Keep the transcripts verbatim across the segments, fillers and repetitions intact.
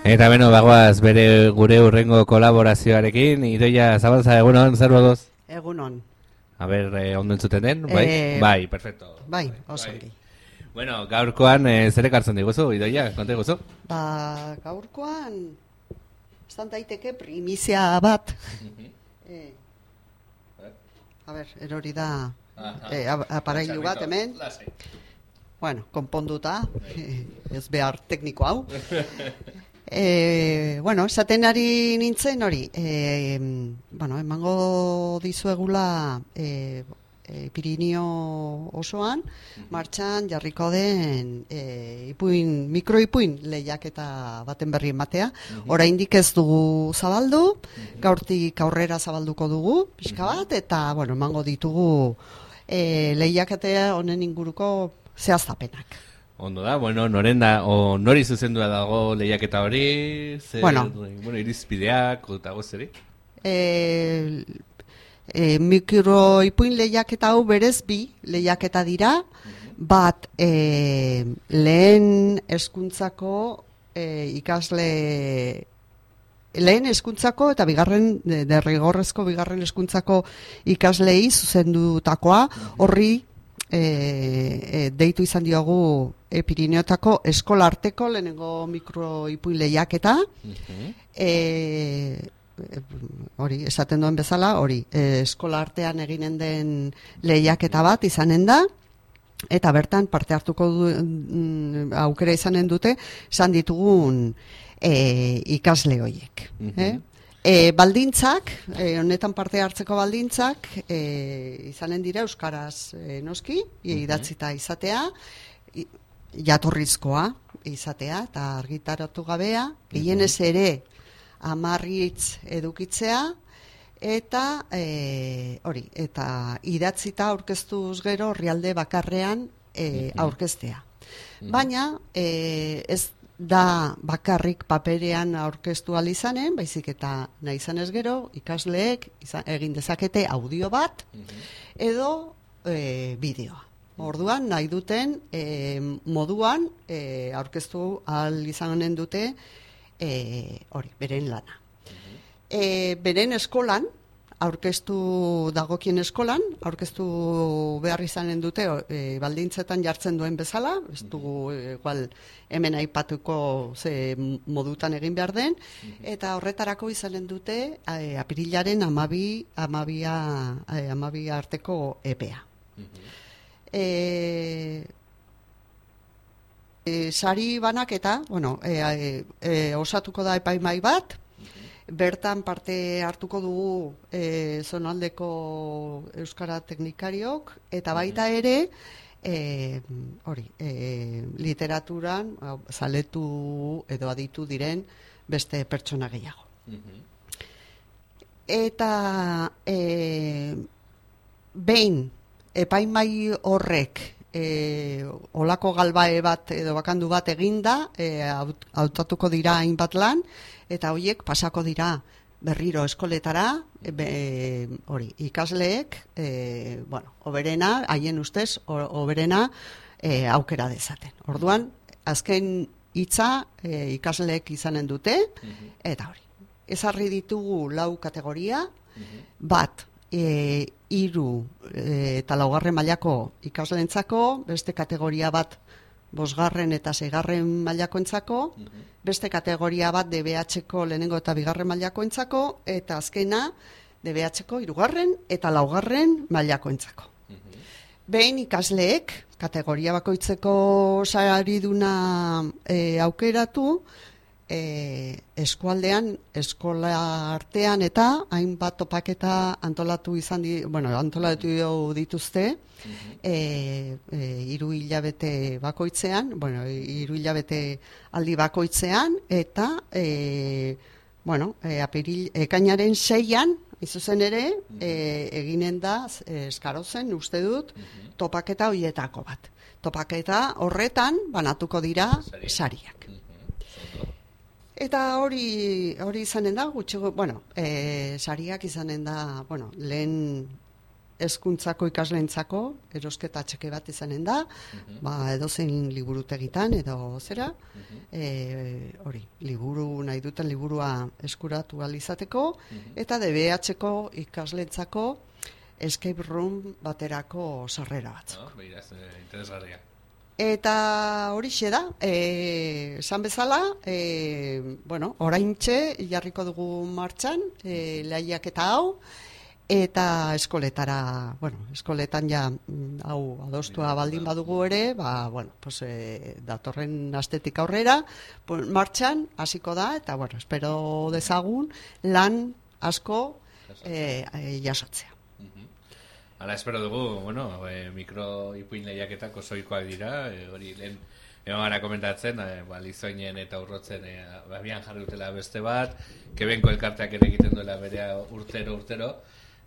Eta beno, bagoaz bere gure urrengo kolaborazioarekin, Idoia Zabalza, egunon, zer modoz? Egunon. A ber, eh, ondo entzuten den, bai? Eh, bai, perfecto. Bai, oso ongi. Bueno, gaurkoan eh, zer ekartzen diguzu, Idoia, konta diguzu? Ba, gaurkoan, estan daiteke primizia bat. eh, a ber, erori da eh, aparailu bat hemen. Bueno, konponduta, ez behar tekniko hau. E, bueno, esaten ari nintzen hori, e, bueno, emango dizuegula e, e, Pirinio osoan, martxan jarriko den e, ipuin, mikroipuin lehiaketa baten berri ematea. Oraindik ez dugu zabaldu, gaurtik aurrera zabalduko dugu, pixka bat, eta bueno, emango ditugu e, lehiaketea honen inguruko zehaztapenak. Ondo da, bueno, noren da, o nori zuzendua dago lehiaketa hori, zer, bueno, bueno, irizpideak, eta gozeri? E, e, mikroipuin lehiaketa hau berez bi lehiaketa dira, bat e, lehen hezkuntzako e, ikasle, lehen hezkuntzako eta bigarren, derrigorrezko bigarren hezkuntzako ikaslei zuzendutakoa, horri E, e, deitu izan diogu e, Pirineotako eskola arteko lehenengo mikroipuin lehiaketa. Uh-huh. e, e, hori, esaten duen bezala, hori, e, eskola artean eginen den lehiaketa bat izanen da, eta bertan parte hartuko du, mm, aukera izanen dute, esan ditugun e, ikasle horiek. Uh-huh. eh? E, baldintzak, e, honetan parte hartzeko baldintzak, e, izanen dira euskaraz e, noski, idatzita izatea, jatorrizkoa izatea, eta argitaratu gabea, gehienez ere hamarritz edukitzea, eta e, hori, eta idatzita aurkeztuz gero orrialde bakarrean e, aurkeztea. Baina, e, ez da bakarrik paperean aurkeztu ahal izanen, baizik eta nahi izanez gero, ikasleek izan, egin dezakete audio bat, edo e, bideoa. Orduan, nahi duten e, moduan e, aurkeztu ahal izanen dute e, hori, beren lana. E, beren eskolan, aurkeztu dagokien eskolan, aurkeztu behar izanen dute e, baldintzetan jartzen duen bezala, ez dugu igual hemen aipatuko ze modutan egin behar den, eta horretarako izanen dute e, apirilaren amabi, amabia, e, amabia arteko epea. E, e, sari banaketa, bueno, e, e, e, osatuko da epaimai bat, bertan parte hartuko dugu e, zonaldeko euskara teknikariok, eta baita ere, e, hori, e, literaturan zaletu edo aditu diren beste pertsona gehiago. Eta e, behin epaimai horrek e, olako galbae bat edo bakandu bat eginda, e, hautatuko dira hainbat lan, eta horiek pasako dira berriro eskoletara, be, hori, ikasleek, e, bueno, oberena, haien ustez, oberena e, aukera dezaten. Orduan, azken hitza e, ikasleek izanen dute, eta hori, ezarri ditugu lau kategoria, bat, e, hiru e, eta laugarren mailako ikasleentzako, beste kategoria bat bosgarren eta seigarren mailakoentzako, beste kategoria bat D B H-ko lehenengo eta bigarren mailakoentzako, eta azkena D B H-ko hirugarren eta laugarren mailakoentzako. Behin ikasleek kategoria bakoitzeko sariduna e, aukeratu, e, eskualdean, eskola artean eta hainbat topaketa antolatu izan di, bueno, antolatu dituzte, e, e, hiru hilabete bakoitzean, bueno, hiru hilabete aldi bakoitzean, eta e, bueno, e, apiril, ekainaren seian, izuzen ere, e, eginen da, e, eskarozen, uste dut, topaketa hoietako bat. Topaketa horretan banatuko dira sariak. Eta hori hori izanen da, gutxi, bueno, e, sariak izanen da, bueno, lehen hezkuntzako ikasleentzako erosketa txeke bat izanen da, uh-huh. ba, edozein liburutegitan edo zera, uh-huh. e, hori, liburu nahi duten liburua eskuratu ahal izateko, uh-huh. eta D B H-ko ikasleentzako escape room baterako sarrera batzuk. No, behiraz, eh, interesgarria. Eta horixe da, eh, esan bezala, eh, bueno, oraintxe jarriko dugu martxan, eh, lehiaketa hau, eta eskoletara, bueno, eskoletan ja hau adostua baldin badugu ere, ba, bueno, pues, e, datorren astetik aurrera, pues, martxan hasiko da, eta, bueno, espero dezagun lan asko e, e, jasotzea. Hala, espero dugu, bueno, e, mikro ipuin lehiaketak osoikoak dira, e, hori lehen egon gara komentatzen, e, ba, lizoinen eta urrotzen e, abian jarri dutela beste bat, kebenko elkarteak ere egiten duela berea urtero, urtero,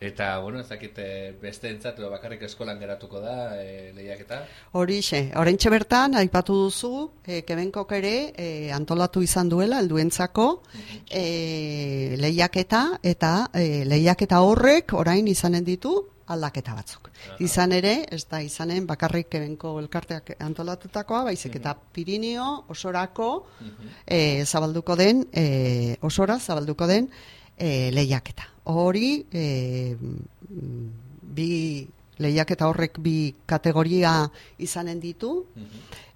eta, bueno, ez dakit beste entzat, bakarrik eskolan geratuko da e, lehiaketa. Horixe, oraintxe bertan, aipatu duzu, e, kebenkok ere e, antolatu izan duela, helduentzako e, lehiaketa, eta e, lehiaketa horrek orain izanen ditu, aldaketa batzuk. Aha. Izan ere, ez da izanen bakarrik kebenko elkarteak antolatutakoa, baizik eta Pirinio osorako e, zabalduko den, e, osora zabalduko den e, lehiaketa. Hori, e, bi lehiaketa horrek bi kategoria izanen ditu,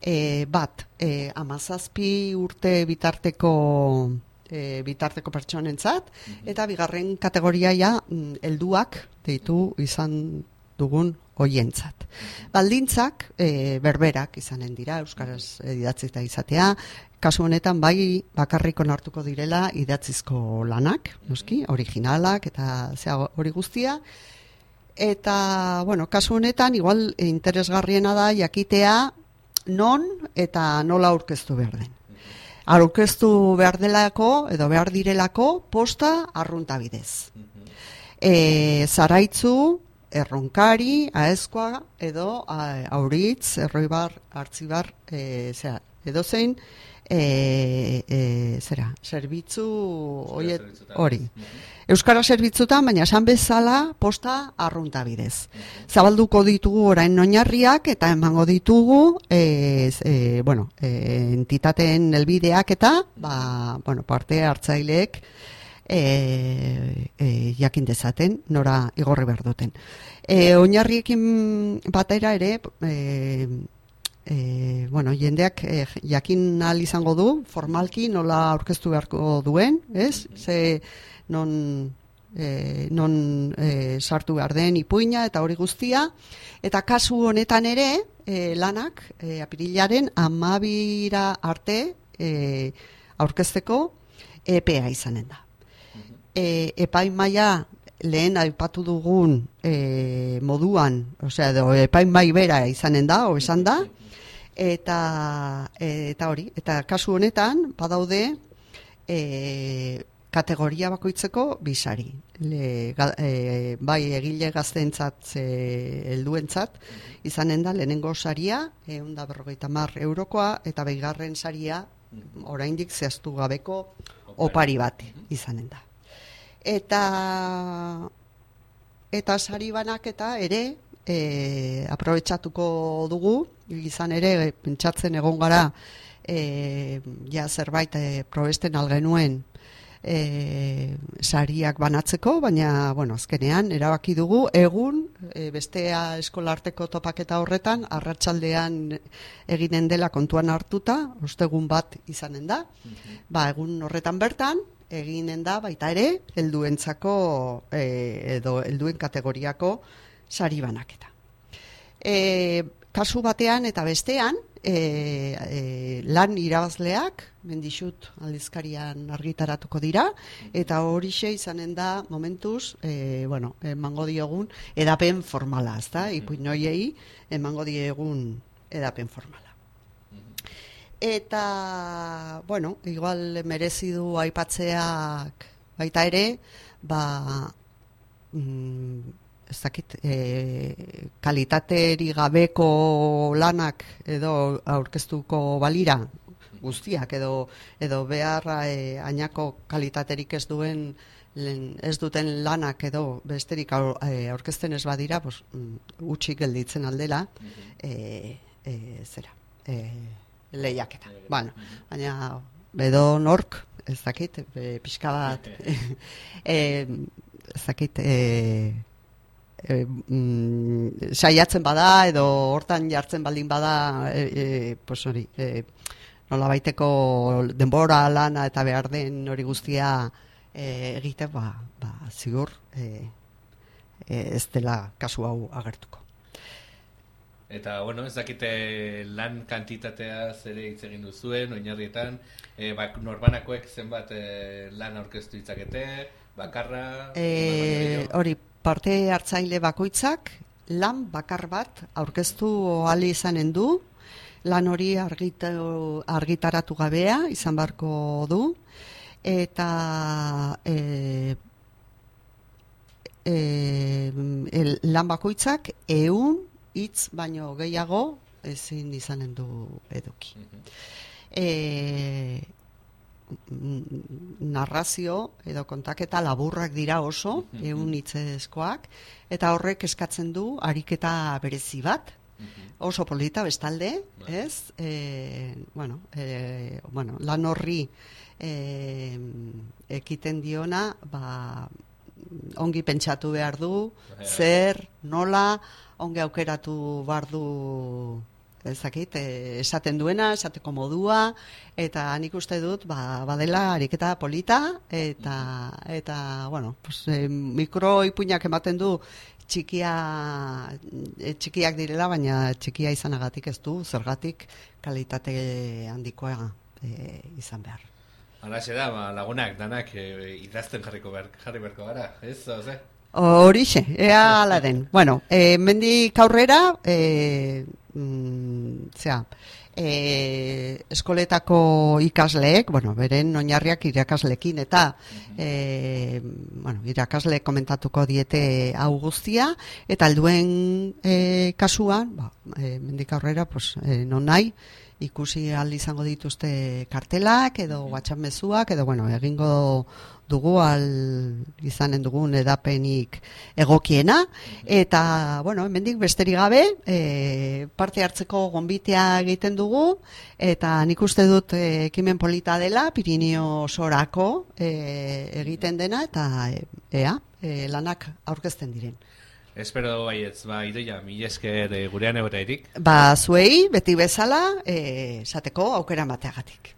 e, bat, e, amazazpi urte bitarteko E, bitarteko pertsonentzat, mm-hmm. eta bigarren kategoria ja helduak deitu izan dugun hoientzat. Mm-hmm. Baldintzak e, berberak izanen dira, euskaraz idatzita izatea, kasu honetan bai bakarrik onartuko direla idatzizko lanak, noski, originalak eta zea hori guztia, eta, bueno, kasu honetan igual interesgarriena da jakitea non eta nola aurkeztu behar den. Aurkeztu behar delako, edo behar direlako, posta arrunta bidez. E, zaraitzu, erronkari, aezkoa, edo a, auritz, erroibar, hartzibar, e, zera, edo zein, e, e, zera, zerbitzu, hori. Euskara zerbitzutan, baina esan bezala posta arrunta bidez. Zabalduko ditugu orain oinarriak eta emango ditugu e, e, bueno, e, entitateen helbideak eta ba, bueno, parte hartzaileek e, e, jakin dezaten nora igorri behar duten. E, oinarriekin batera ere e, e, bueno, jendeak e, jakin ahal izango du formalki nola aurkeztu beharko duen, ez? Ze non, e, non e, sartu behar den ipuina eta hori guztia, eta kasu honetan ere e, lanak e, apirilaren amabira arte e, aurkezteko epea izanen da. E, epaimaia lehen aipatu dugun e, moduan, osea, edo epaimai bera izanen da, o esan da, eta, eta hori, eta kasu honetan badaude e, kategoria bakoitzeko bisari. Le, ga, e, bai egile gazteentzat e, helduentzat izanen da lehenengo saria ehun eta berrogeita hamar eurokoa eta bigarren saria oraindik zehaztu gabeko opari bat izanen da. Eta eta sari banaketa ere e, aprobetxatuko dugu, izan ere pentsatzen egon gara e, ja zerbait e, probesten algenuen E, sariak banatzeko, baina bueno, azkenean erabaki dugu egun e, bestea eskolarteko topaketa horretan arratsaldean eginen dela kontuan hartuta, ostegun bat izanen da. Mm-hmm. Ba, egun horretan bertan eginen da baita ere helduentzako e, edo helduen kategoriako sari banaketa. E, kasu batean eta bestean e, e, lan irabazleak mendixut aldizkarian argitaratuko dira, eta horixe izanen da momentuz, e, bueno, emango diogun edapen formala, ezta? Ipuin hoiei emango diegun edapen formala. Eta, bueno, igual merezi du aipatzeak baita ere, ba, mm, ez dakit, e, kalitateri gabeko lanak edo aurkeztuko balira, guztiak edo edo beharra e, ainako kalitaterik ez duen ez duten lanak edo besterik aurkezten ez badira, pues, utxik gelditzen aldela, e, e, zera, e, lehiaketa. Bueno, baina edo nork, ez dakit, e, pixka bat, e, ez dakit, e, E, mm, saiatzen bada edo hortan jartzen baldin bada e, e, pues hori e, nola baiteko denbora lana eta behar den hori guztia e, egite ba, ba zigur e, e, ez dela kasu hau agertuko. Eta, bueno, ez dakite lan kantitatea zere hitz egin duzuen, oinarrietan, e, bak, norbanakoek zenbat e, lan aurkeztu ditzakete, bakarra... E, hori, parte hartzaile bakoitzak lan bakar bat aurkeztu ahal izanen du, lan hori argita, argitaratu gabea izan beharko du, eta e, e, lan bakoitzak ehun hitz baino gehiago ezin izanen du eduki. E, narrazio edo kontaketa laburrak dira oso, ehun hitzezkoak, eta horrek eskatzen du ariketa berezi bat, oso polita bestalde, ez? E, bueno, e, bueno, lan horri e, ekiten diona, ba, ongi pentsatu behar du, zer, nola, ongi aukeratu behar du, ezakit, esaten duena, esateko modua, eta nik uste dut, ba, badela ariketa polita, eta, eta bueno, pues, e, mikroipuinak ematen du txikia, e, txikiak direla, baina txikia izanagatik ez du, zergatik kalitate handikoa e, izan behar. Halaxe da, ba, lagunak, danak e, idazten jarriko behar, jarri beharko gara, ez, oze? Horixe, ea ala den. Bueno, e, mendik aurrera, e, mm, zera, e, eskoletako ikasleek, bueno, beren oinarriak irakaslekin, eta e, bueno, irakasle komentatuko diete hau guztia, eta helduen e, kasuan, ba, e, mendik aurrera, pues, e, non nahi, ikusi ahal izango dituzte kartelak, edo WhatsApp mezuak, edo, bueno, egingo dugu al izanen dugun edapenik egokiena, eta, bueno, hemendik besterik gabe, e, parte hartzeko gonbitea egiten dugu, eta nik uste dut e, ekimen polita dela, Pirinio sorako e, egiten dena, eta e, ea, e, lanak aurkezten diren. Espero dugu baietz, ba, Idoia, mila esker e, gurean egotairik. Ba, zuei, beti bezala, e, esateko aukera mateagatik.